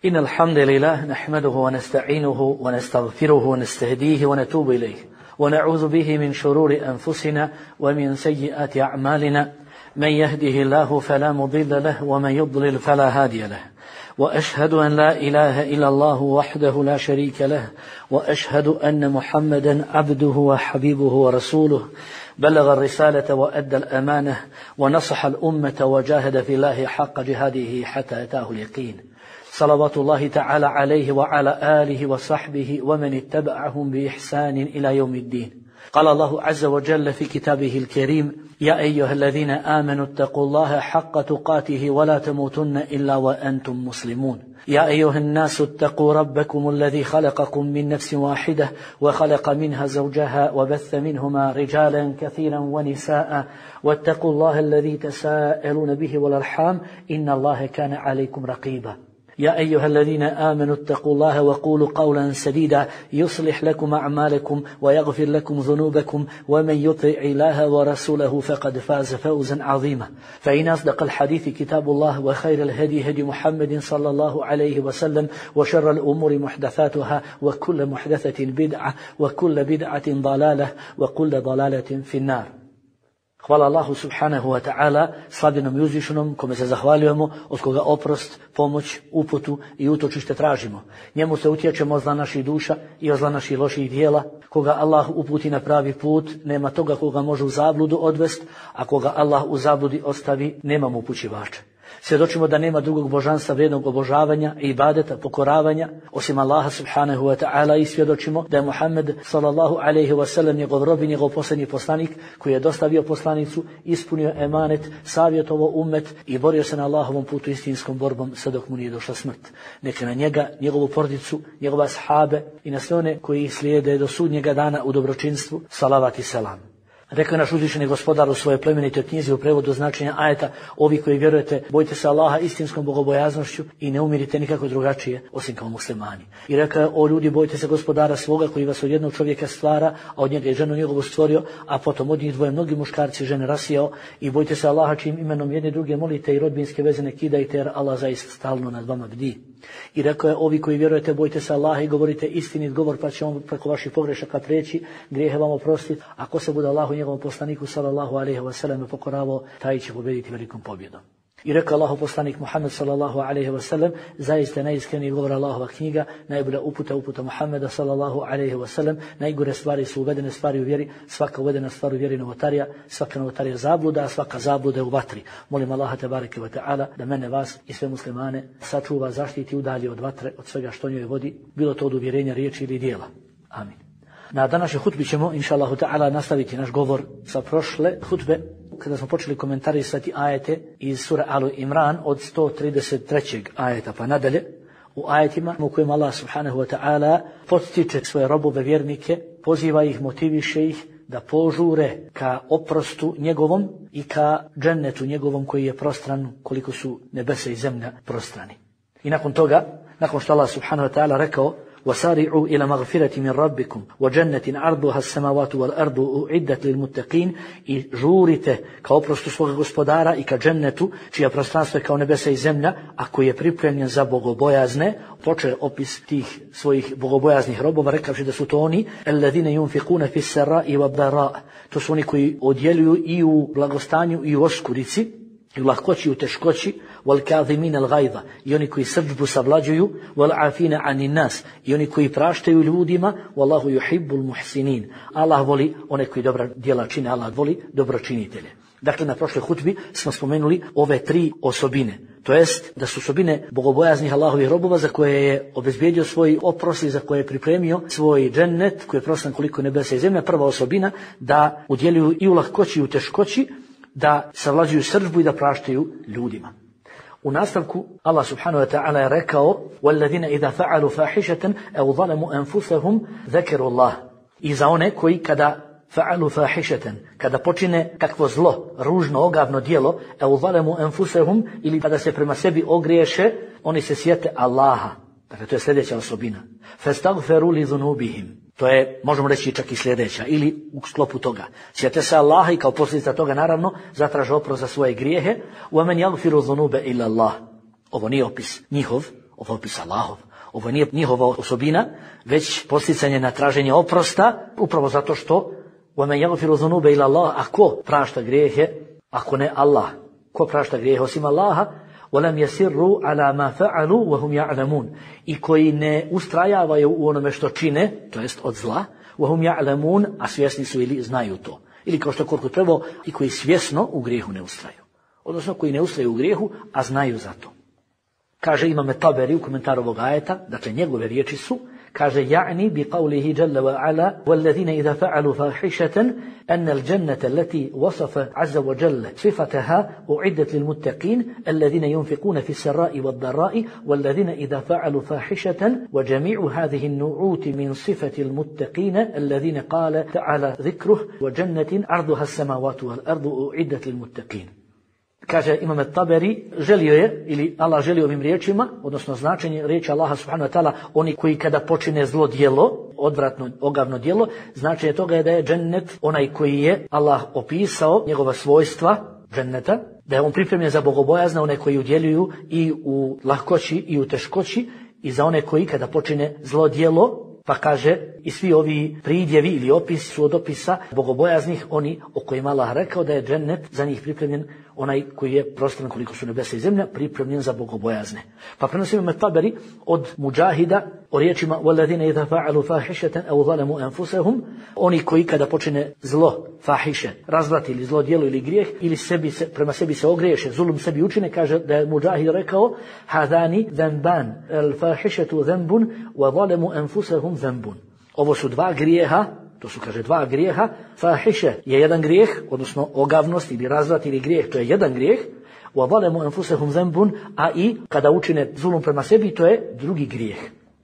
إن الحمد لله نحمده ونستعينه ونستغفره ونستهديه ونتوب إليه ونعوذ به من شرور أنفسنا ومن سيئات أعمالنا من يهده الله فلا مضل له ومن يضلل فلا هادي له وأشهد أن لا إله إلا الله وحده لا شريك له وأشهد أن محمدا عبده وحبيبه ورسوله بلغ الرسالة وأدى الأمانة ونصح الأمة وجاهد في الله حق جهاده حتى أتاه اليقين صلوات الله تعالى عليه وعلى آله وصحبه ومن اتبعهم بإحسان إلى يوم الدين. قال الله عز وجل في كتابه الكريم: يا أيها الذين آمنوا اتقوا الله حق تقاته ولا تموتن إلا وأنتم مسلمون. يا أيها الناس اتقوا ربكم الذي خلقكم من نفس واحدة وخلق منها زوجها وبث منهما رجالا كثيرا ونساء واتقوا الله الذي تساءلون به والأرحام إن الله كان عليكم رقيبا. يا أيها الذين آمنوا اتقوا الله وقولوا قولا سديدا يصلح لكم أعمالكم ويغفر لكم ذنوبكم ومن يطع الله ورسوله فقد فاز فوزا عظيما. فإن أصدق الحديث كتاب الله وخير الهدي هدي محمد صلى الله عليه وسلم وشر الأمور محدثاتها وكل محدثة بدعة وكل بدعة ضلالة وكل ضلالة في النار. Hvala Allahu subhanahu wa ta'ala, slavljenom i uzvišenom, kome se zahvaljujemo, od koga oprost, pomoć, uputu i utočište tražimo. Njemu se utječemo od zla naših duša i od zla naših loših dijela. Koga Allah uputi na pravi put, nema toga koga može u zabludu odvest, a koga Allah u zabludi ostavi, nema mu upućivača. Svjedočimo da nema drugog božanstva vrijednog obožavanja i ibadeta, pokoravanja, osim Allaha subhanahu wa ta'ala, i svjedočimo da je Muhammed sallallahu alaihi wa sallam njegov rob i njegov posljednji poslanik koji je dostavio poslanicu, ispunio emanet, savjetovao ummet i borio se na Allahovom putu istinskom borbom sve dok mu nije došla smrt. Neka na njega, njegovu porodicu, njegove ashabe i na sve one koji ih slijede do sudnjega dana u dobročinstvu, salavat i selam. Rekao je naš uzvišeni gospodar u svojoj plemenitoj knjizi u prevodu značenja ajeta: ovi koji vjerujete, bojte se Allaha istinskom bogobojaznošću i ne umirite nikako drugačije osim kao muslimani. I rekao je: o ljudi, bojte se gospodara svoga koji vas od jednog čovjeka stvara, a od njega je ženu njegovu stvorio, a potom od njih dvoje mnogi muškarci i žene rasijao. I bojte se Allaha čijim imenom jedni druge molite i rodbinske veze ne kidajte, jer Allah zaista stalno nad vama bdi. I rekao je: ovi koji vjerujete, bojte se Allaha i govorite istinit govor, pa će on preko vaših pogrešaka preći, grijehe vam oprostiti. Ako se bude Allahu njegovom poslaniku sallallahu alejhi ve sellem pokoravao, taj će pobjediti velikom pobjedom. I rekao Allahov poslanik Muhammed sallallahu alejhi ve sellem: zaista najiskreniji govor Allahova knjiga, najbolja uputa Muhammeda sallallahu alejhi ve sellem, najgore stvari su uvedene stvari u vjeri, svaka uvedena stvar u vjeri novotarija, svaka novotarija zabluda, a svaka zabluda u vatri. Molim Allaha tebareke ve taala da mene, vas i sve muslimane sačuva, zaštiti, udalji od vatre, od svega što njoj vodi, bilo to od uvjerenja, riječi ili djela. Amin. Na današnjoj hutbi ćemo, inša Allahu ta'ala, nastaviti naš govor sa prošle hutbe, kada smo počeli komentarisati ajete iz sura Alu Imran od 133. ajeta pa nadalje, u ajetima u kojima Allah subhanahu wa ta'ala podstiče svoje robove vjernike, poziva ih, motiviše ih da požure ka oprostu njegovom i ka džennetu njegovom koji je prostran koliko su nebesa i zemlja prostrani. I nakon toga, nakon što Allah subhanahu wa ta'ala rekao: وسارعوا إلى مغفرة من ربكم وجنة عرضها السماوات والأرض أعدت للمتقين, i žurite ka oprostu svoga gospodara i ka džennetu čija prostranstvo je kao nebesa i zemlja, a koji je pripremljen za bogobojazne. Počeo opis tih svojih bogobojaznih robova rekavši da su to oni alladine yunfiquna fi s-sarai wad-dara, to su oni koji odjeljuju i u blagostanju i u oskurici, i u lahkoći i u teškoći, وَالْكَاظِمِينَ الْغَيْظَ, i oni koji srdžbu savlađuju, وَالْعَافِينَ عَنِ النَّاسِ, i oni koji praštaju ljudima, وَاللَّهُ يُحِبُّ الْمُحْسِنِينَ, Allah voli one koji dobra djela čine, Allah voli dobročinitelje. Dakle, na prošloj hutbi smo spomenuli ove tri osobine, to jest da su osobine bogobojaznih Allahovih robova za koje je obezbijedio svoj oprost i za koje je pripremio svoj džennet koji je prostran koliko nebesa i zemlja. Prva osobina, da udjeljuju i u lahkoći i u teškoći, da savlađuju srdžbu i da praštaju ljudima. U nastavku Allah subhanahu wa ta'ala je rekao: وَالَّذِينَ إِذَا فَعَلُوا فَاحِشَةً أَوْ ظَلَمُوا أَنفُسَهُمْ ذَكَرُوا اللَّهَ, i za one koji kada fa'alu fahishatan, kada počine kakvo zlo, ružno, ogavno djelo, أَوْ ظَلَمُوا أَنفُسَهُمْ, ili kada se prema sebi ogriješe, oni se sjete Allaha. Dakle, to je sljedeća osobina. فَاسْتَغْفَرُوا لِذُنُوبِهِمْ, to je, možemo reći, čak i sljedeća, ili u sklopu toga. Sjete se Allaha i kao posljedica toga, naravno, zatraže oprost za svoje grijehe. وَمَنْ يَغْفِرُ ذُنُوبَ إِلَّا اللَّهِ, ovo nije opis njihov, ovo je opis Allahov. Ovo nije njihova osobina, već posticanje na traženje oprosta, upravo zato što وَمَنْ يَغْفِرُ ذُنُوبَ إِلَّا اللَّهِ. A ko prašta grijehe, ako ne Allah? Ko prašta grijehe osim Allaha? وَلَمْ يَسِرُّوا عَلَى مَا فَعَلُوا وَهُمْ يَعْلَمُونَ. I koji ne ustrajavaju u onome što čine, to jest od zla, وَهُمْ يَعْلَمُونَ, a svjesni su ili znaju to. Ili kao što koliko treba, i koji svjesno u grijehu ne ustraju. Odnosno koji ne ustraju u grijehu, a znaju za to. Kaže Imam Taberi u komentaru ovog ajeta, dakle njegove riječi su, kaže يعني بقوله جل وعلا والذين إذا فعلوا فاحشة أن الجنة التي وصف عز وجل صفتها أعدت للمتقين الذين ينفقون في السراء والضراء والذين إذا فعلوا فاحشة وجميع هذه النعوت من صفة المتقين الذين قال تعالى ذكره وجنة عرضها السماوات والأرض أعدت للمتقين. Kaže Imam Taberi, želio je, ili Allah želio ovim riječima, odnosno značenje riječi Allaha subhanahu wa ta'ala, oni koji kada počine zlo djelo, odvratno, ogavno djelo, značenje toga je da je džennet onaj koji je Allah opisao, njegova svojstva dženneta, da je on pripremljen za bogobojazne, one koji udjeljuju i u lahkoći i u teškoći, i za one koji kada počine zlo djelo, pa kaže i svi ovi pridjevi ili opisi su od opisa bogobojaznih, oni o kojima Allah rekao da je džennet za njih pripremljen, onaj koji je prostran koliko su nebesa i zemlja, pripremljen za bogobojazne. Pa prenosimo Imam Taberi od Mudžahida o riječima وَالَّذِينَ إِذَا فَعَلُوا فَاحِشَةً أَوْ ظَلَمُوا أَنفُسَهُمْ, oni koji kada počine zlo, fahiše, razvrat ili zlo djelo ili grijeh, ili prema sebi se ogriješe, zulum sebi učine, kaže da je Mudžahid rekao هَذَانِ ذَنْبَانِ الْفَاحِشَةُ ذَنْبٌ وَظَلَمُوا أَنفُسَهُمْ ذَنْبٌ. Ovo su dva grijeha, to su, kaže, dva grijeha. Fahiše je jedan grijeh, odnosno ogavnost ili razvrat ili grijeh, to je jedan grijeh. وَظَلَمُوا أَنفُسَهُمْ ذَنْبٌ, a i kada učine zulum prema sebi, to je drugi grijeh.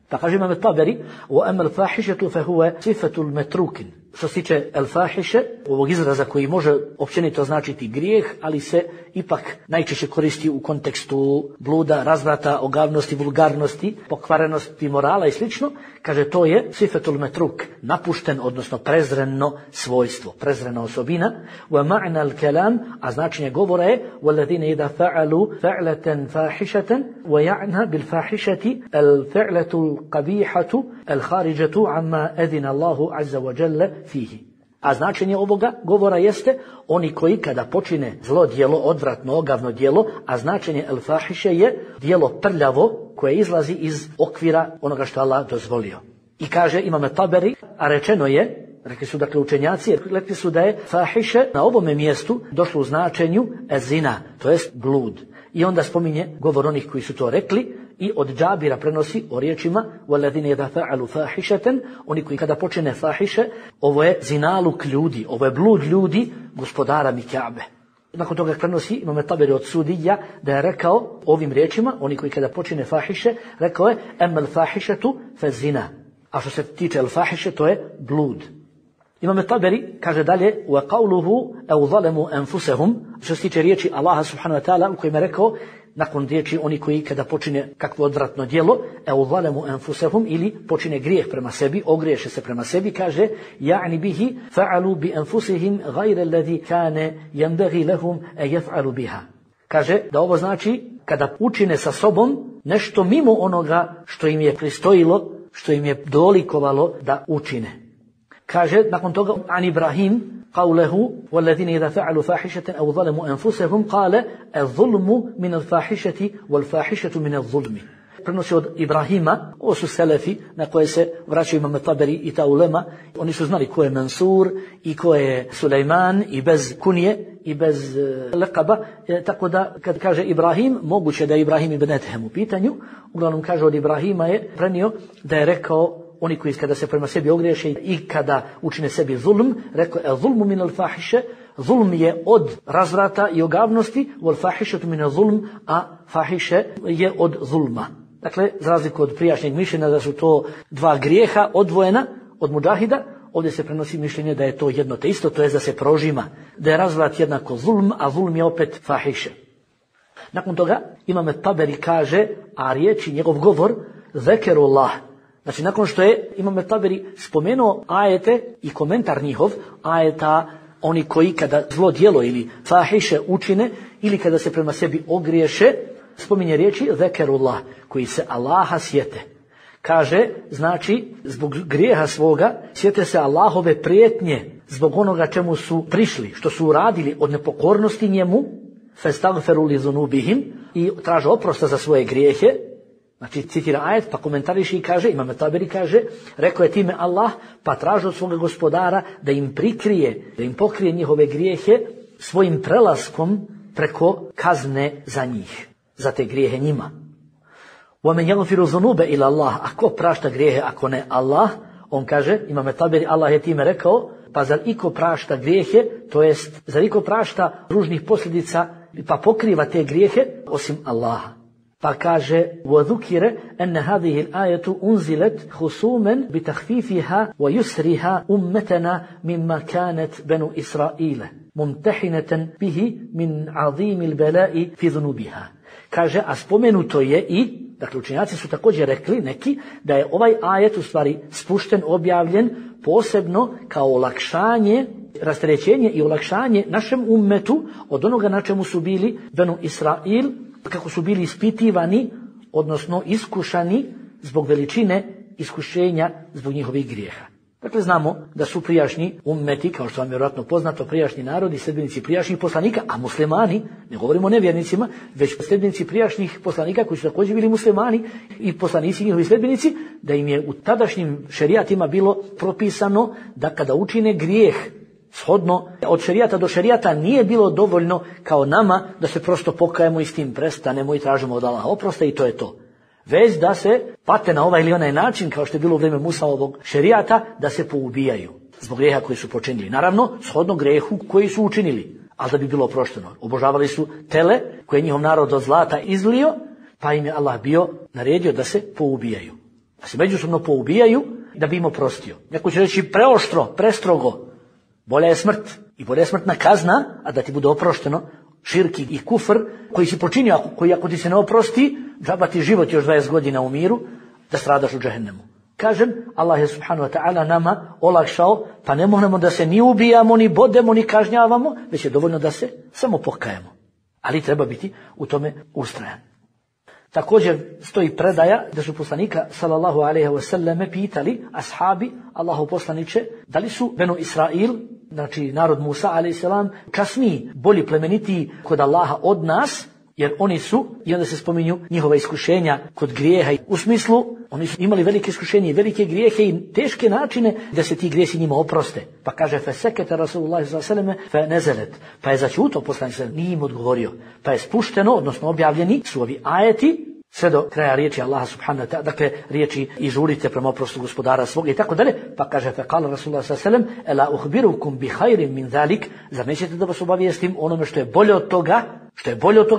Pa kaže Imam Taberi, وَأَمَّا الْفَاحِشَةُ فَهُوَ صِفَةُ الْمَتْرُوكٍ. Što se tiče el-fahiše, ovog izraza koji može općenito značiti grijeh, ali se ipak najčešće koristi u kontekstu bluda, razvrata, ogavnosti, vulgarnosti, pokvarenosti morala i slično, kaže to je sifetul metruk, napušten, odnosno prezreno svojstvo, prezrena osobina. Wa ma'na al-kalam, a značenje govora je وَالَّذِينَ إِذَا فَعَلُوا فَعْلَةً فَاحِشَةً وَيَعْنَا بِالْفَاحِشَةِ الْفِعْلَةُ الْقَبِيحَةُ الْخَارِجَةُ عَمَّا أَذِنَ اللَّهُ عَزَّ وَجَلَّ fihi. A značenje ovoga govora jeste oni koji kada počine zlo djelo, odvratno, ogavno djelo, a značenje el-fahiše je djelo prljavo koje izlazi iz okvira onoga što Allah dozvolio. I kaže Imam Taberi, a rečeno je, rekli su dakle učenjaci, rekli su da je fahiše na ovome mjestu došlo u značenju zina, to jest blud. I onda spominje govor onih koji su to rekli i od Džabira prenosi o riječima وَالَّذِينَ إِذَا فَعَلُوا فَاحِشَةً, oni koji kada počine fahiše, ovo je zinaluk ljudi, ovo je blud ljudi gospodara Mikjabe. Nakon toga prenosi Imam Taberi od Sudija da je rekao ovim riječima, oni koji kada počine fahiše, rekao je أَمَّا الْفَاحِشَةُ فَالزِّنَا. A što se tiče el-fahiše, to je blud. Imam Taberi kaže dalje وَقَوْلُهُ أَوْ ظَلَمُوا أَنفُسَهُمْ, što se tiče riječi Allaha subhanahu wa ta'ala u kojima je rekao nakon riječi oni koji kada počine kakvo odvratno djelo, أَوْ ظَلَمُوا أَنفُسَهُمْ, ili počine grijeh prema sebi, ogriješe se prema sebi, kaže يعني به فعلوا بأنفسهم غير الذي كان ينبغي لهم أن يفعلوا بها. Kaže da ovo znači kada učine sa sobom nešto mimo onoga što im je pristojilo, što im je dolikovalo da učine. Kaže nakon toga an Ibrahim قوله والذين إذا فعلوا فاحشة أو ظلموا أنفسهم قال الظلم من الفاحشة والفاحشة من الظلم. Prenosi od Ibrahima, ovo su selefi na koje se vraćaju Imam Taberi i ta ulema. Oni su znali ko je Mansur i ko je Sulejman i bez kunije i bez lekaba. Tako da kad kaže Ibrahim, moguće da je Ibrahim ibn Ethem u pitanju. Uglavnom kaže od Ibrahima je prenio da je rekao oni koji kada se prema sebi ogriješe i kada učine sebi zulm, rekao je zulmu min al-fahiše, zulm je od razvrata i ogavnosti, wal fahišatu min al-zulm, a fahiše je od zulma. Dakle, za razliku od prijašnjeg mišljenja da su to dva grijeha odvojena od Mudžahida, ovdje se prenosi mišljenje da je to jedno te isto, to je da se prožima, da je razvrat jednako zulm, a zulm je opet fahiše. Nakon toga Imam Taberi kaže, a riječi njegov govor zekerullah. Znači, nakon što je Imam Taberi spomenuo ajete i komentar njihov, ajeta oni koji kada zlo djelo ili fahiše učine ili kada se prema sebi ogriješe, spominje riječi zekerullah, koji se Allaha sjete. Kaže, znači, zbog grijeha svoga sjete se Allahove prijetnje, zbog onoga čemu su prišli, što su uradili od nepokornosti njemu, festagferu li zunubihim, i traže oprosta za svoje grijehe. Znači, citira ajet, pa komentariši i kaže, Imam Taberi kaže, rekao je time Allah, pa traže od svoga gospodara da im prikrije, da im pokrije njihove grijehe svojim prelaskom preko kazne za njih, za te grijehe njima. وَمَنْ يَغْفِرُ ذُنُوبَ إِلَى اللَّهِ, ako prašta grijehe, ako ne Allah, on kaže, Imam Taberi, Allah je time rekao, pa zar iko prašta grijehe, to jest, zar iko prašta ružnih posljedica, pa pokriva te grijehe, osim Allaha. Pa kaže, وَذُكِرَ أَنَّ هَذِهِ الْآيَةُ أُنْزِلَتْ خُصُومًا بِتَخْفِيفِهَا وَيُسْرِهَا أُمَّتَنَا مِمَّا كَانَتْ بَنُو إِسْرَائِيلَ مُمْتَحِنَةً بِهِ مِنْ عَظِيمِ الْبَلَاءِ فِي ذُنُوبِهَا. Kaže, a spomenuto je i, dakle učenjaci su također rekli neki, da je ovaj ajet u stvari spušten, objavljen posebno kao olakšanje, rasterećenje i olakšanje našem ummetu od onoga na čemu su bili Benu Israil, kako su bili ispitivani, odnosno iskušani zbog veličine iskušenja zbog njihovih grijeha. Dakle, znamo da su prijašnji ummeti, kao što vam je vjerojatno poznato, prijašnji narodi, sljedbenici prijašnjih poslanika, a muslimani, ne govorimo o nevjernicima, već sljedbenici prijašnjih poslanika koji su također bili muslimani i poslanici njihovi sljedbenici, da im je u tadašnjim šerijatima bilo propisano da kada učine grijeh, shodno od šerijata do šerijata, nije bilo dovoljno kao nama da se prosto pokajemo i s tim prestanemo i tražimo od Allaha oprosta i to je to. Već da se pate na ovaj ili onaj način, kao što je bilo u vrijeme Musaovog šerijata, da se poubijaju zbog grijeha koji su počinili. Naravno, shodno grijehu koji su učinili, ali da bi bilo oprošteno. Obožavali su tele koje je njihov narod od zlata izlio, pa im je Allah bio naredio da se poubijaju. Da se međusobno poubijaju da bi im oprostio. Neko će reći preoštro, prestrogo. Bolja je smrt i bolja je smrtna kazna, a da ti bude oprošteno širki i kufr koji si počinio, koji ako ti se ne oprosti, džaba ti život još 20 godina u miru, da stradaš u džehennemu. Kažem, Allah je subhanahu wa ta'ala nama olakšao, pa ne možemo da se ni ubijamo, ni bodemo, ni kažnjavamo, već je dovoljno da se samo pokajemo. Ali treba biti u tome ustrajan. Također stoji predaja da su poslanika sallallahu alejhi ve selleme pitali ashabi, Allahu poslanice, da li su Benu Israil, znači narod Musa alejhi selam, kasniji, bolji, plemenitiji kod Allaha od nas, jer oni su, i onda se spominju njihova iskušenja kod grijeha. U smislu, oni su imali velike iskušenje i velike grijehe i teške načine da se ti grijesi njima oproste. Pa kaže, fesekete Rasulullah s.a.v. fe nezelet. Pa je začuto poslanik, nije im odgovorio. Pa je spušteno, odnosno objavljeni su ovi ajeti, sve do kraja riječi Allaha subhanahu wa ta'ala, dakle riječi i žurite prema oprostu gospodara svog i tako dalje. Pa kaže, fe kala Rasulullah s.a.v. ela uhbirukum bi hajrim min zalik, zar nećete da vas obavijestim onome što je bolje od toga,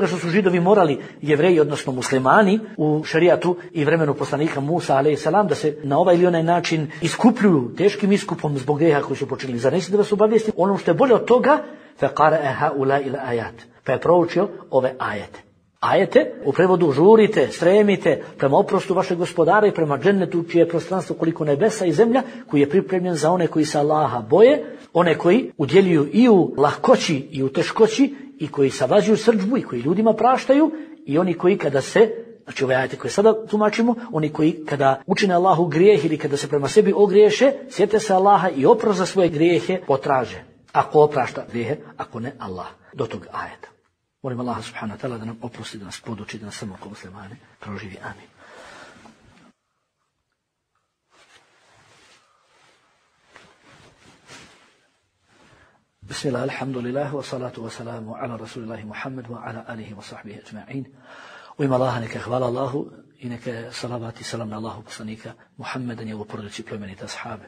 što su Židovi morali, Jevreji, odnosno muslimani, u šerijatu i vremenu poslanika Musa a.s. da se na ovaj ili onaj način iskupljuju teškim iskupom zbog grijeha koji su počinili. Zar nećete da vas obavijestim ono što je bolje od toga? فَقَرَأَهَا أُولَا إِلَا آيَاتِ, pa je proučio ove ajete. Ajete, u prevodu žurite, stremite prema oprostu vašeg gospodara i prema džennetu čije je prostranstvo koliko nebesa i zemlja, koji je pripremljen za one koji se Allaha boje, one koji udjeljuju i u lahkoći i u teškoći, i koji savađuju srdžbu i koji ljudima praštaju, i oni koji kada se, znači ove ajete koje sada tumačimo, oni koji kada učine Allahu grijeh ili kada se prema sebi ogriješe, sjete se Allaha i oprost za svoje grijehe potraže. Ako oprašta grijehe, ako ne Allah. Do tog ajeta. Molim Allaha subhanahu wa ta'ala da nam oprosti, da nas poduči, da nas samo kao muslimane proživi. Amin. Bismillah, alhamdulillah, wa salatu wa salamu ala rasulillahi Muhammad wa ala alihi wa sahbihi ajma'in. U ime Allaha neka hvala Allahu i neka salavat i salam na Allahu poslanika Muhammeda, njegovu porodicu i plemenite ashabe.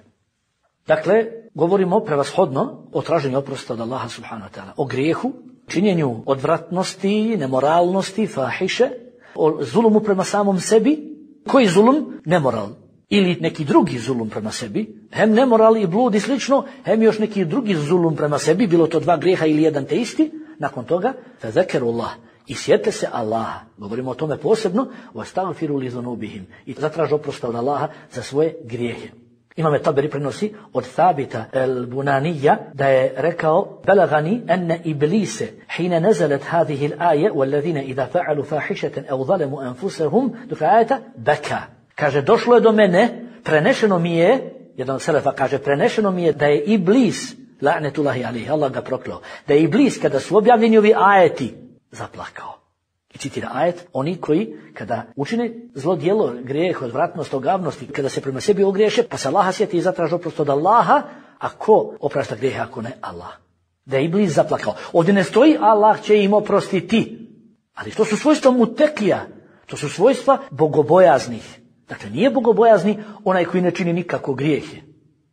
Dakle, govorimo prevashodno o traženju oprosta od Allaha subhanahu wa ta'ala, o grijehu, činjenju odvratnosti, nemoralnosti, fahiše, o zulumu prema samom sebi. Koji zulum? Nemoral. Ili neki drugi zulum prema sebi, hem nemoral i blud i slično, hem još neki drugi zulum prema sebi, bilo to dva grijeha ili jedan te isti. Nakon toga, fezekerullah, i sjete se Allaha, govorimo o tome posebno, vastagfiru li zunubihim, i zatraži oprosta od Allaha za svoje grijehe. Imam Taberi prenosi od Thabita al-Bunanija da je rekao: "Balagani anna iblise hina nazalat hadhihi al-aya walladhina idha fa'alu fahishatan aw zalamu anfusahum dukayata baka." Kaže, došlo je do mene, prenešeno mi je, jedan od selefa kaže, prenešeno mi je da je Iblis, la'netullahi alejhi, Allah ga prokleo, da je Iblis kada su objavljeni ovi ajeti zaplakao. I citira ajet: "Oni koji kada učine zlo djelo, grijeh, odvratnost, ogavnosti, kada se prema sebi ogriješe, pa se Allaha sjeti i zatraže oprost od Allaha, a ko oprašta grijehe ako ne Allah?" Da je Iblis zaplakao. Ovdje ne stoji Allah će im oprostiti, ali to su svojstva mutekija, to su svojstva bogobojaznih. Dakle, nije bogobojazni onaj koji ne čini nikako grijehe.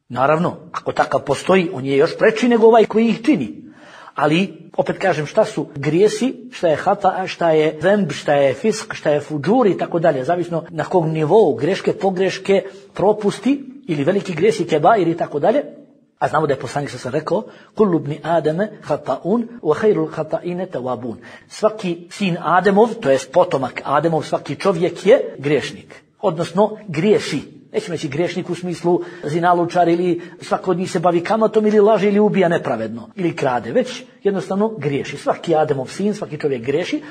Naravno, ako takav postoji, on je još preči nego ovaj koji ih čini. Ali, opet kažem, šta su grijesi, šta je hata, šta je zemb, šta je fisk, šta je fuđur i tako dalje, zavisno na kog nivou, greške, pogreške, propusti ili veliki grijesi, kebair i tako dalje. A znamo da je poslanik sam rekao: "Kullu ibni Adame hata'un wa khairul hata'ine tawabun." Svaki sin Ademov, to jest potomak Ademov, svaki čovjek je griješnik, odnosno griješi. Nećemo reći griješnik u smislu zinalučar ili svako od njih se bavi kamatom ili laže ili ubija nepravedno ili krade, već jednostavno griješi. Svaki Ademov sin, svaki čovjek griješi.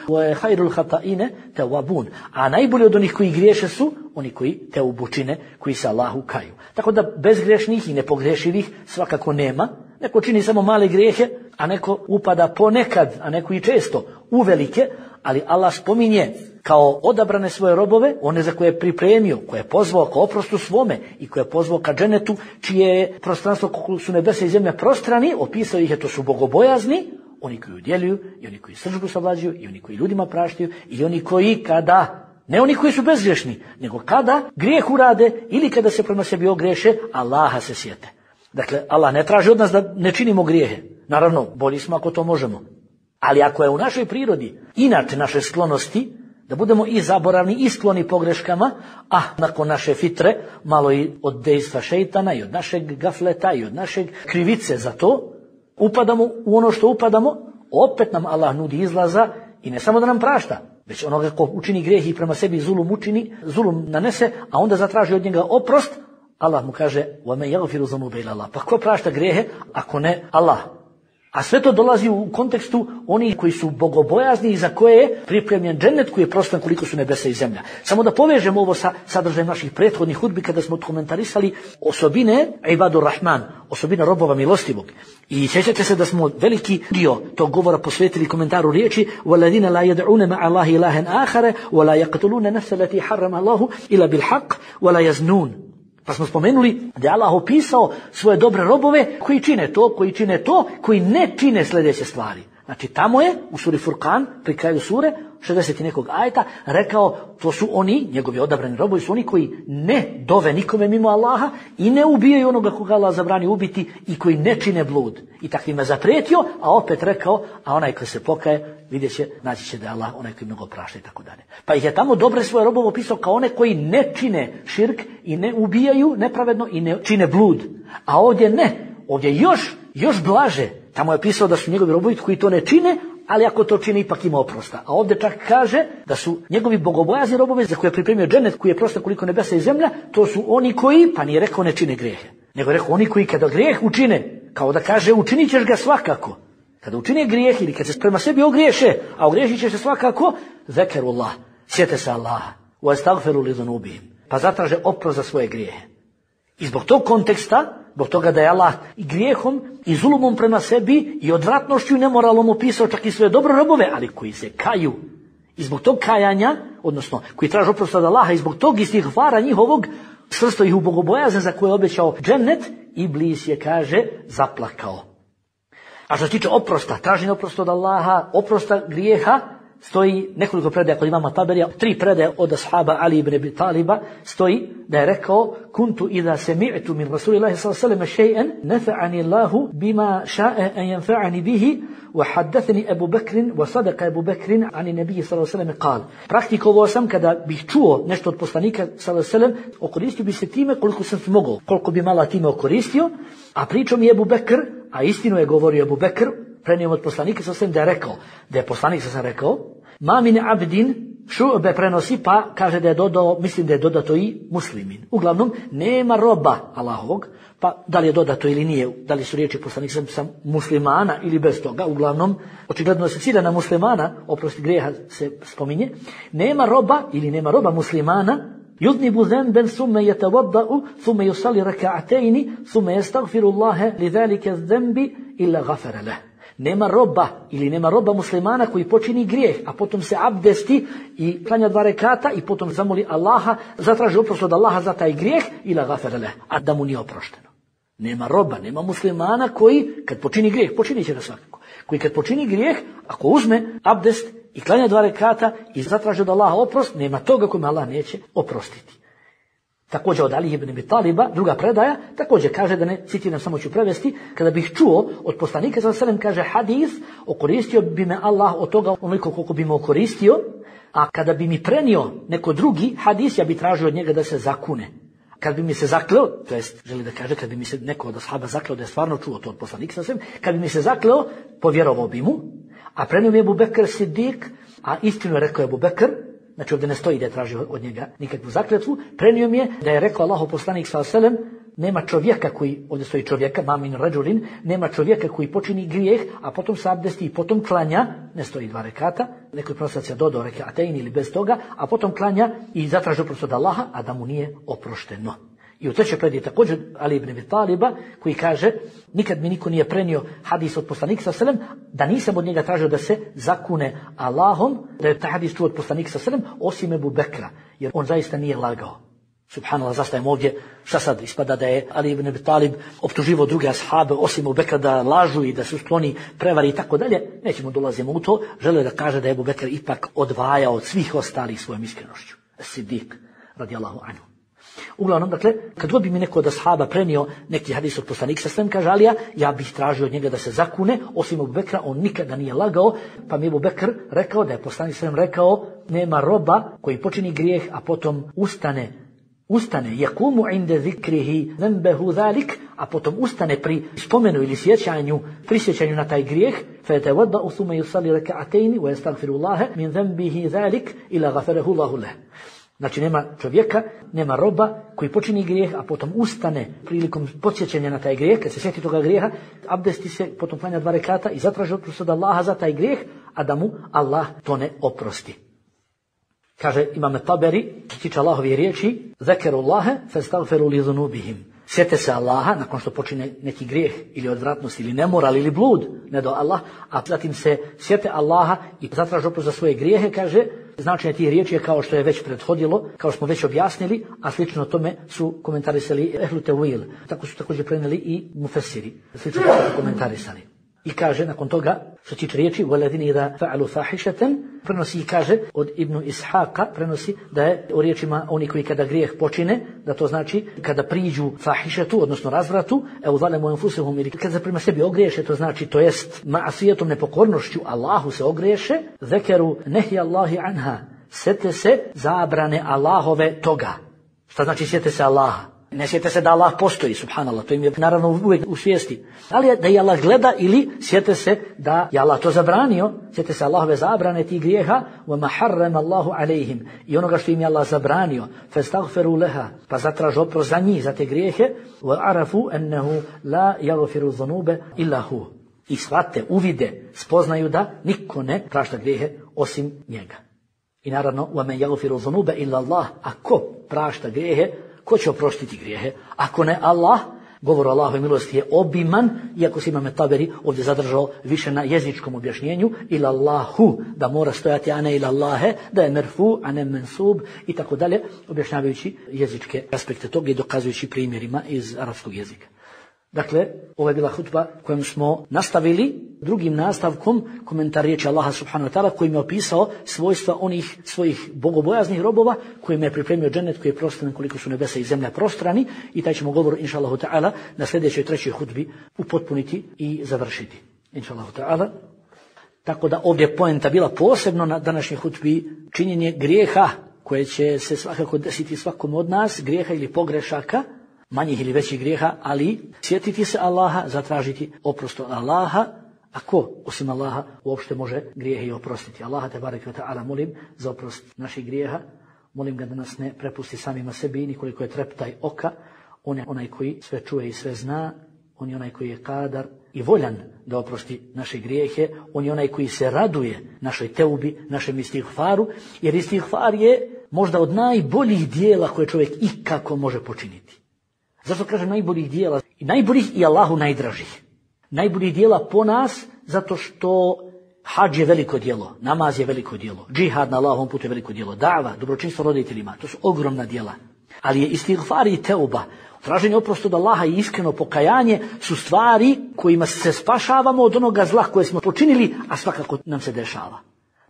Khairul hata'ine tawabun. A najbolji od onih koji griješe su oni koji teubu čine, koji se Allahu kaju. Tako da bezgrešnih i nepogrešivih svakako nema. Neko čini samo male grijehe, a neko upada ponekad, a neko i često u velike, ali Allah spominje kao odabrane svoje robove, one za koje je pripremio, koje je pozvao ka oprostu svome i koje je pozvao ka dženetu, čije je prostranstvo koliko su nebesa i zemlja prostrani, opisao ih je, to su bogobojazni, oni koji udjeljuju i oni koji srdžbu savlađuju i oni koji ljudima praštaju i oni koji kada, ne oni koji su bezgrešni, nego kada grijeh urade ili kada se prema sebi ogreše, Allaha se sjete. Dakle, Allah ne traži od nas da ne činimo grijehe. Naravno, bolji smo ako to možemo. Ali ako je u našoj prirodi, inače naše sklonosti, da budemo i zaboravni i skloni pogreškama, a nakon naše fitre, malo i od dejstva šejtana i od našeg gafleta i od našeg krivice za to, upadamo u ono što upadamo, opet nam Allah nudi izlaza i ne samo da nam prašta, već onoga ko učini grijeh i prema sebi zulum učini, zulum nanese, a onda zatraži od njega oprost, Allah mu kaže: "Wa men yaghfiru dhunuba illa Allah." Pa ko prašta grijehe ako ne Allah? A sve to dolazi u kontekstu onih koji su bogobojazni i za koje je pripremljen džennet koji je prostran koliko su nebesa i zemlja. Samo da povežemo ovo sa sadržajem naših prethodnih hudbi kada smo komentarisali osobine ibadur rahman, osobine robova milostivog. I sjećate se da smo veliki dio tog govora posvetili komentaru riječi: "Walladina la yad'una ma'a Allahi ilahan akhara wa la yaqtuluna nafsa allati harrama Allahu illa bil haqq wa la yaznun." Pa smo spomenuli da je Allah opisao svoje dobre robove koji čine to, koji ne čine sljedeće stvari. Znači tamo je u suri Furqan, pri kraju sure, 60 i nekog ajeta, rekao to su oni, njegovi odabrani robovi su oni koji ne dove nikome mimo Allaha i ne ubijaju onoga koga Allah zabrani ubiti i koji ne čine blud. I takvima zapretio, a opet rekao, a onaj koji se pokaje, vidjet će, naći će da je Allah onaj koji mnogo prašta i tako dalje. Pa ih je tamo dobre svoje robove opisao kao one koji ne čine širk i ne ubijaju nepravedno i ne čine blud. A ovdje ne, ovdje još blaže. Tamo je pisao da su njegovi robovi koji to ne čine, ali ako to čine ipak ima oprosta. A ovdje čak kaže da su njegovi bogobojazni robovi za koje je pripremio džennet koji je prostor koliko nebesa i zemlja, to su oni koji, pa nije rekao ne čine grijehe, nego je rekao oni koji kada grijeh učine, kao da kaže učinit ćeš ga svakako. Kada učine grijeh ili kad se prema sebi ogriješe, a ogriješit će se svakako, zekerullah, sjete se Allaha, wa astaghfiru li dhunubihim, pa zatraže oprost za svoje grijehe. I zbog tog konteksta, zbog toga da je Allah i grijehom i zulumom prema sebi i odvratnošću i nemoralom opisao čak i svoje dobre robove, ali koji se kaju. I zbog tog kajanja, odnosno koji traže oprost od Allaha i zbog tog istighfara njihovog, svrsto ih u bogobojazan za koje je obećao džennet, Iblis je, kaže, zaplakao. A što se tiče oprosta, traženje oprosta od Allaha, oprosta grijeha, stoji nekoliko predaja kod imama Taberija, 3 predaje od ashaba Ali ibn Abi Taliba, stoji da je rekao: "Kuntu idha sami'tu min Rasulillahi sallallahu alejhi ve sellem shay'an nafa'ani Allahu bima sha'a an yanfa'ani bihi wa haddathani Abu Bakr wa sadaqa Abu Bakr an an-nabiy sallallahu alejhi ve sellem qala." Praktikovao sam kada bih čuo nešto od poslanika sallallahu alejhi ve sellem, okoristio bi se time koliko sam mogao, koliko bi malo time okoristio, a pričao mi je Abu Bekr, a istinu je govorio Abu Bekr, prenio od poslanika sallallahu alejhi ve sellem da je rekao, da je poslanik sallallahu alejhi ve sellem rekao: "Ma min abdin Šube prenosi pa kaže da je dodao, mislim da je dodato i muslimin. Uglavnom, nema roba Allahovog, pa da li je dodato ili nije, da li su riječi poslanika sam muslimana ili bez toga, uglavnom, očigledno se cilja na muslimana, oprosti grijeha se spominje, nema roba ili nema roba muslimana, yudnibu dhanban thumma yatawadda'u thumma yusalli rak'atayn thumma yastaghfiru Allaha lidhalika adh-dhanbi illa ghafara lahu. Nema roba ili nema roba muslimana koji počini grijeh, a potom se abdesti i klanja 2 rekata i potom zamoli Allaha, zatraži oprost od Allaha za taj grijeh ila ghafara lahu, a da mu nije oprošteno. Nema roba, nema muslimana koji kad počini grijeh, počinit će ga svakako, koji kad počini grijeh, ako uzme abdest i klanja 2 rekata i zatraži od Allaha oprost, nema toga kome Allah neće oprostiti. Također od Ali ibn Abi Taliba, druga predaja, također kaže, da ne citiram, samo ću prevesti, kada bih čuo od poslanika sallallahu alejhi ve sellem, kaže hadis, okoristio bi me Allah od toga onoliko koliko bi me okoristio, a kada bi mi prenio neko drugi hadis, ja bi tražio od njega da se zakune. Kad bi mi se zakleo, to jest želi da kaže, kad bi mi se neko od ashaba zakleo da je stvarno čuo to od poslanika sallallahu alejhi ve sellem, kad bi mi se zakleo, povjerovao bi mu, a prenio mi je Abu Bekr Siddiq, a istinu je rekao Abu Bekr, znači ovdje ne stoji da je tražio od njega nikakvu zakletvu, prenio mi je da je rekao Allahov poslanik sallallahu alejhi ve sellem, nema čovjeka koji, ovdje stoji čovjeka, mamin rađulin, nema čovjeka koji počini grijeh, a potom se abdesti i potom klanja, ne stoji 2 rekata, neko je prostacija dodao rekatayn ili bez toga, a potom klanja i zatraži oprost od Allaha, a da mu nije oprošteno. I u trećoj predaji također Ali ibn Abi Taliba, koji kaže, nikad mi niko nije prenio hadis od poslanika sallallahu alejhi ve sellem, da nisam od njega tražio da se zakune Allahom, da je taj hadis čuo od poslanika sallallahu alejhi ve sellem, osim Ebu Bekra, jer on zaista nije lagao. Subhanallah, zastajemo ovdje, šta sad ispada da je Ali ibn Abi Talib optuživao druge ashabe, osim Ebu Bekra, da lažu i da su skloni prevari i tako dalje, nećemo dolazimo u to, želio da kaže da je Ebu Bekr ipak odvajao od svih ostalih svojom iskrenošću. Siddiq, radijallahu anhu. Uglavnom, dakle, kad god bi mi neko od ashaba prenio neki hadis od poslanika sallallahu alejhi ve sellem, kaže Alija, ja bih tražio od njega da se zakune, osim Ebu Bekra, on nikada nije lagao, pa mi Ebu Bekr rekao da je poslanik sallallahu alejhi ve sellem rekao, nema roba koji počini grijeh, a potom ustane, yakumu inda zikrihi dhanbahu zalik, a potom ustane pri spomenu ili prisjećanju na taj grijeh, fa yatawadda'u thumma yusalli rak'atayn wa yastaghfiru Allaha min dhanbihi zalik ila ghafarahu Allahu lahu. Znači nema čovjeka, nema roba koji počini grijeh, a potom ustane prilikom podsjećanja na taj grijeh, kad se sjeti toga grijeha, abdesti se, potom klanja 2 rekata i zatraži oprost od Allaha za taj grijeh, a da mu Allah to ne oprosti. Kaže Imam Taberi, što tiče Allahove riječi, zakerullaha fastaghfiru li dhunubihim. Sjete se Allaha nakon što počine neki grijeh ili odvratnost ili nemoral ili blud, ne do Allah, a zatim se sjete Allaha i zatraži oprost za svoje grijehe, kaže, značenje tih riječi je kao što je već prethodilo, kao što smo već objasnili, a slično tome su komentarisali ehlu tevil. Tako su također prenijeli i mufesiri, slično su komentarisali. I kaže nakon toga, što tiče riječi, وَالَّذِينَ إِذَا فَعَلُوا فَاحِشَةً, prenosi i kaže od Ibnu Ishaqa, prenosi da je o riječima oni koji kada grijeh počine, da to znači kada priđu fahišetu, odnosno razvratu, ظَلَمُوا أَنفُسَهُمْ, ili kada prema sebi ogriješe, to znači, to jest ma'asijetom, nepokornošću Allahu se ogriješe, ذَكَرُوا نَهْيَ اللَّهِ عَنْهَا, sjete se zabrane Allahove toga. Šta znači sjete se Allaha? Ne sjete se da Allah postoji, subhanallah, to im je naravno uvijek u svijesti. Ali da je Allah gleda ili sjete se da je Allah to zabranio, sjete se Allahove zabrane tih grijeha, وَمَا حَرَّمَ اللَّهُ عَلَيْهِمْ, i onoga što im je Allah zabranio, فَاسْتَغْفِرُوا لَهَا, pa zatraži oprost za njih, za te grijehe, وَعَرَفُوا أَنَّهُ لَا يَغْفِرُ الذُّنُوبَ إِلَّا هُوَ, i shvate, uvide, spoznaju da niko ne prašta grijehe osim njega. I naravno, وَمَنْ يَغْفِرُ الذُّنُوبَ إِلَّا اللَّهُ, ako prašta grijehe, ko će oprostiti grijehe? Ako ne Allah, govor o Allahove milosti je obiman, iako se Imam Taberi ovdje zadržao više na jezičkom objašnjenju, ila Allahu, da mora stojati, a ne ila Allahe, da je merfu, a ne mensub, i tako dalje, objašnjavajući jezičke aspekte toga i dokazujući primjerima iz arapskog jezika. Dakle, ovo je bila hutba kojom smo nastavili drugim nastavkom komentar riječi Allaha subhanahu wa ta'ala, kojim je opisao svojstva onih svojih bogobojaznih robova, kojim je pripremio džennet koji je prostran koliko su nebesa i zemlja prostrani, i taj ćemo govor inša Allahu ta'ala na sljedećoj trećoj hutbi upotpuniti i završiti inša Allahu ta'ala. Tako da ovdje poenta bila posebno na današnjoj hutbi činjenje grijeha koje će se svakako desiti svakom od nas, grijeha ili pogrešaka, manjih ili većih grijeha, ali sjetiti se Allaha, zatražiti oprost od Allaha, A ko, osim Allaha, uopšte može grijehe i oprostiti? Allaha te barek ve ta'ala molim za oprost naših grijeha. Molim ga da nas ne prepusti samima sebi, nikoliko je treptaj oka. On je onaj koji sve čuje i sve zna. On je onaj koji je kadar i voljan da oprosti naše grijehe. On je onaj koji se raduje našoj teubi, našem istighfaru, jer istighfar je možda od najboljih dijela koje čovjek ikako može počiniti. Zašto kažem najboljih dijela? I najboljih i Allahu najdražih. Najboljih dijela po nas, zato što hadž je veliko djelo, namaz je veliko djelo, džihad na Allahovom putu je veliko djelo, da'va, dobročinstvo roditeljima, to su ogromna djela. Ali je istighfar i teuba, traženje oprosta od Allaha i iskreno pokajanje su stvari kojima se spašavamo od onoga zla koje smo počinili, a svakako nam se dešava.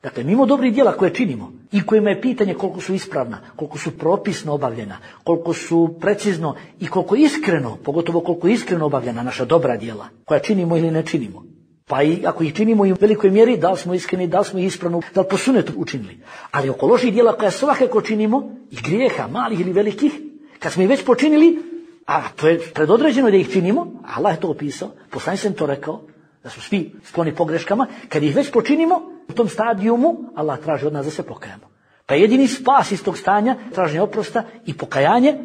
Dakle, mimo dobrih djela koje činimo i kojima je pitanje koliko su ispravna, koliko su propisno obavljena, koliko su precizno i koliko iskreno, pogotovo koliko iskreno obavljena naša dobra djela, koja činimo ili ne činimo. Pa i ako ih činimo i u velikoj mjeri, da li smo iskreni, da li smo ih ispravno, da li po sunnetu učinili. Ali oko loših djela koja svakako činimo, i grijeha, malih ili velikih, kad smo ih već počinili, a to je predodređeno da ih činimo, Allah je to opisao, poslanik sam to rekao, da su svi skloni pogreškama, kad ih već počinimo, u tom stadijumu, Allah traži od nas da se pokajamo. Pa jedini spas iz tog stanja, traženje oprosta i pokajanje,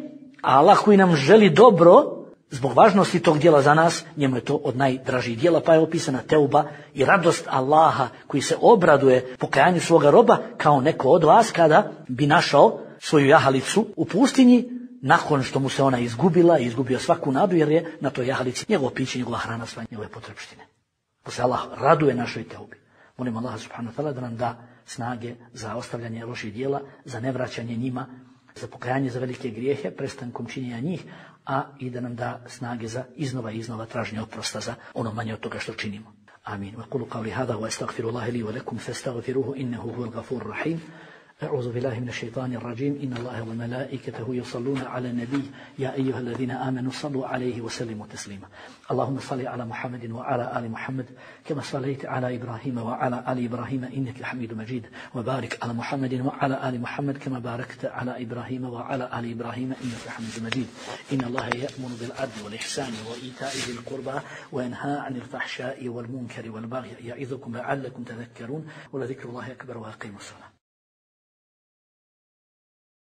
a Allah koji nam želi dobro, zbog važnosti tog djela za nas, njemu je to od najdražih djela, pa je opisana teuba i radost Allaha koji se obraduje pokajanju svoga roba kao neko od vas kada bi našao svoju jahalicu u pustinji nakon što mu se ona izgubila i izgubio svaku nadu jer je na toj jahalici njegovo piće, njegova hrana, sve njegove potrebštine. Pa se Allah raduje našoj teubi. Molim Allaha subhanahu wa ta'ala da nam da snage za ostavljanje loših djela, za nevraćanje njima, za pokajanje za velike grijehe, prestankom činjenja njih, a i da nam da snage za iznova traženje oprosta za ono manje od toga što činimo. Amin. Wa qulu qawli hadha wa astaghfirullaha li wa lakum fastaghfiruhu innahu huwal ghafurur rahim. أعوذ بالله من الشيطان الرجيم إن الله وملائكته يصلون على النبي يا أيها الذين آمنوا صلوا عليه وسلموا تسليما اللهم صل على محمد وعلى آل محمد كما صليت على إبراهيم وعلى آل إبراهيم إنك حميد مجيد وبارك على محمد وعلى آل محمد كما باركت على إبراهيم وعلى آل إبراهيم إنك حميد مجيد إن الله يأمر بالعدل والإحسان وإيتاء ذي القربى وينهى عن الفحشاء والمنكر والبغي يعظكم لعلكم تذكرون ولذكر الله أكبر وأقيموا الصلاة